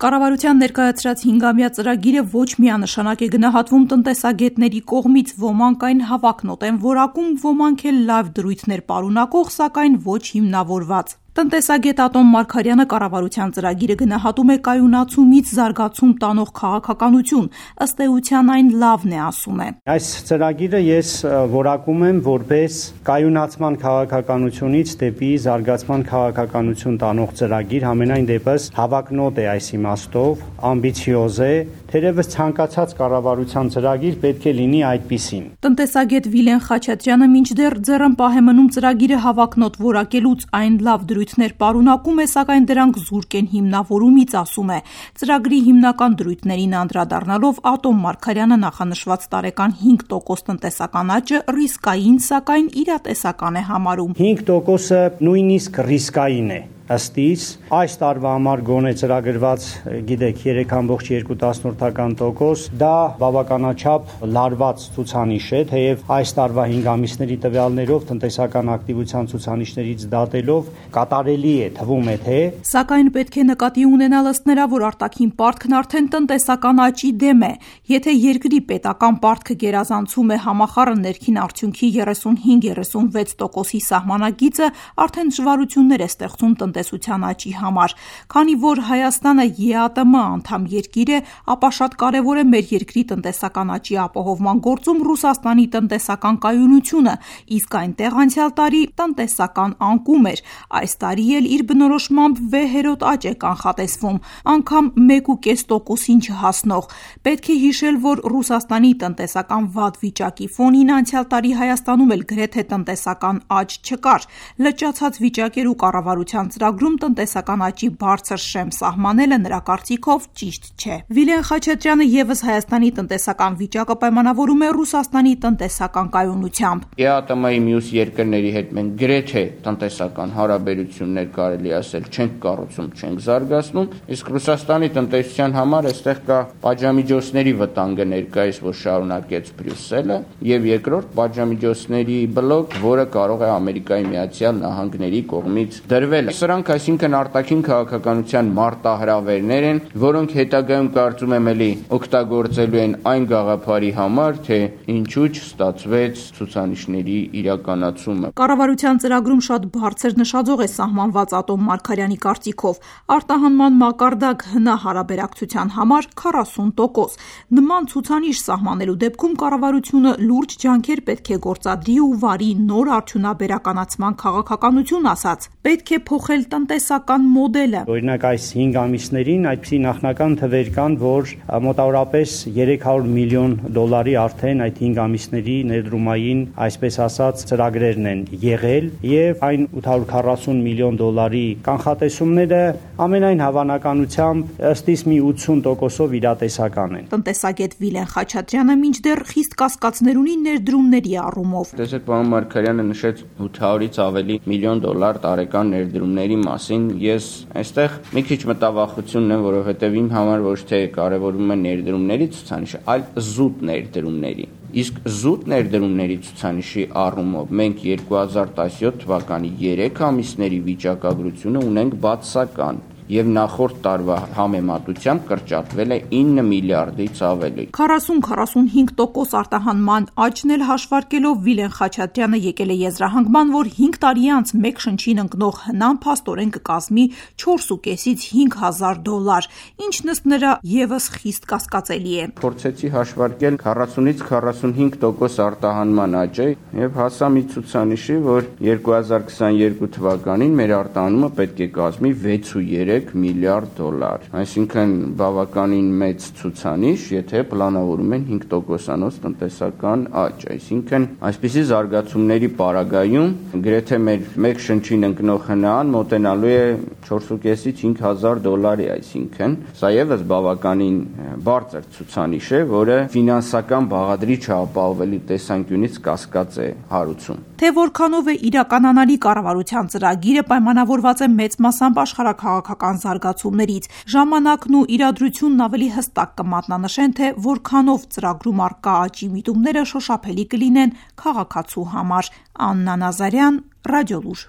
Կառավարության ներկայացրած 5-ամյա ծրագիրը ոչ միանշանակ է գնահատվում տնտեսագետների կողմից, ոմանք այն հավակնոտ են որակում, ոմանք էլ լավ դրույթներ պարունակող, սակայն ոչ հիմնավորված։ Տնտեսագետ Ատոմ Մարգարյանը կառավարության ծրագիրը գնահատում է կայունացումից զարգացում տանող քաղաքականություն, ըստ էության այն լավն է, ասում է։ Այս ծրագիրը ես որակում եմ որպես կայունացման քաղաքականությունից դեպի զարգացման քաղաքականություն տանող ծրագիր, համենայն դեպս հավակնոտ է այս իմաստով, ամբիցիոզ է, թերևս ցանկացած կառավարության ծրագիր պետք է լինի այդպիսին։ Տնտեսագետ Վիլեն Խաչատրյանը մինչդեռ ձեռն պահ է մնում ծրագիրը հավակնոտ որակելուց, այն լավ դրույթներ պարունակում է, սակայն դրանք զուրկ են հիմնավորումից, ասում է։ Ծրագրի հիմնական դրույթներին անդրադառնալով Ատոմ Մարգարյանը նախանշված տարեկան 5% տնտեսական աճը ռիսկային, սակայն իրատեսական է համարում։ 5%-ը նույնիսկ ռիսկային է։ Ըստ իս, այս տարվա համար գոնե ծրագրված, գիտեք, 3.2%, դա բավականաչափ լարված ցուցանիշ է, թեև այս տարվա 5 ամիսների տվյալներով տնտեսական ակտիվության ցուցանիշներից դատելով կատարելի է, թվում է, թե։ Սակայն պետք է նկատի ունենալ ըստ նրա, որ արտաքին պարտքն արդեն տնտեսական աճի դեմ է։ Եթե երկրի պետական պարտքը գերազանցում է համախառն ներքին արդյունքի 35-36%-ի սահմանակիցը, արդեն դժվարություններ է ստեղծում տնտեսության աճի համար։ Քանի որ Հայաստանը ԵԱՏՄ անդամ երկիր է, ապա շատ կարևոր է մեր երկրի տնտեսական աճի ապահովման գործում Ռուսաստանի տնտեսական կայունությունը, իսկ այնտեղ անցյալ տարի տնտեսական անկում էր։ Այս տարի էլ իր բնորոշմամբ վեհերոտ աճ է կանխատեսվում, անգամ 1.5%-ին չհասնող։ Պետք է հիշել, որ Ռուսաստանի տնտեսական վատ վիճակի ֆոնին անցյալ տարի Հայաստանում էլ գրեթե տնտեսական աճ չկար։ Լճացած վիճակեր ու կառավարության ծրագրում տնտեսական աճի բարձր շեմ սահմանելը նրա կարծիքով ճիշտ չէ։ Վիլեն Խաչատրյանը ևս Հայաստանի տնտեսական վիճակը պայմանավորում է Ռուսաստանի տնտեսական կայունությամբ։ ԵԱՏՄ-ի մյուս երկրների հետ մենք գրեթե տնտեսական հարաբերություններ կարելի ասել չենք կառուցում, չենք զարգացնում, իսկ Ռուսաստանի տնտեսության համար այստեղ կա պատժամիջոցների վտանգը ներկայիս, որ շարունակեց Բրյուսելը, եւ երկրորդ պատժամիջոցների բլոկ, որը կարող է Ամերիկայի Միացյալ Նահանգների կողմից դրվել։ Սրանք այսինքն արտաքին քաղաքականության մարտահրավերներ են, որոնք հետագայում կարծում եմ էլի օգտագործելու են այն գաղափարի համար, թե ինչու չստացվեց ցուցանիշների իրականացումը։ Կառավարության ծրագրում շատ բարձր նշաձող է սահմանված Ատոմ Մարգարյանի կարծիքով։ Արտահանման մակարդակ ՀՆ հարաբերակցության համար 40%։ Նման ցուցանիշ սահմանելու դեպքում կառավարությունը լուրջ ջանքեր պետք է գործադրի ու վարի նոր արդյունաբերականացման քաղաքականություն, ասաց։ Պետք է փոխել տնտեսական մոդելը։ Օրինակ այս 5 ամիսներին այդպիսի նախնական թվեր կան, որ մոտավորապես $300 միլիոն արդեն այդ 5 ամիսների ներդրումային, այսպես ասած, ծրագրերն են եղել եւ այն $840 միլիոն կանխատեսումները ամենայն հավանականությամբ ըստ իս մի 80%-ով իրատեսական են։ Տնտեսագետ Վիլեն Խաչատրյանը մինչդեռ խիստ կասկածներ ունի ներդրումների առումով։ Տեսեք, պարոն Մարգարյանը նշեց $800-ից ավելի միլիոն տարեկան ներդրումների մասին։ Ես այստեղ մի քիչ մտավախություն ունեմ, որովհետև իմ համար ոչ թե կարևորում է ներդրումների ցուցանիշը, այլ զուտ ներդրումների։ Իսկ զուտ ներդրումների ցուցանիշի առումով մենք 2017 թվականի 3 ամիսների վիճակագրությունը ունենք բացասական եւ նախորդ տարվա համեմատությամբ կրճատվել է 9 միլիարդից ավելի։ 40-45% արտահանման աճն էլ հաշվարկելով Վիլեն Խաչատրյանը եկել է եզրահանգման, որ 5 տարի անց մեկ շնչին ընկնող հնան փաստորեն կկազմի $4.5-ից $5,000, ինչն ըստ նրա ևս խիստ կասկածելի է։ Փորձեցի հաշվարկել 40-ից 45% արտահանման աճը եւ հասա մի ցուցանիշի, որ 2022 թվականին մեր արտահանումը պետք է կազմի $6.3 միլիարդ։ Այսինքն բավականին մեծ ցուցանիշ, եթե պլանավորում են 5%-անոց տնտեսական աճ, այսինքն այսպիսի զարգացումների պարագայում գրեթե մեր մեկ շնչին ընկնող հնան մոտենալու է $4.5-ից $5,000, այսինքն սա եւս բավականին բարձր ցուցանիշ է, որը ֆինանսական բաղադրիչը ապահովելու տեսանկյունից կասկած է հարուցում։ Թե որքանով է իրականանալի կառավարության ծրագիրը պայմանավորված է մեծ մասամբ աշխարհաքաղաքական զարգացումներից։ Ժամանակն ու իրադրությունն ավելի հստակ կմատնանշեն, թե որքանով ծրագրում առկա աճի միտումները շոշափելի կլինեն քաղաքացու համար։ Աննա Նազարյան, Ռադիոլուր։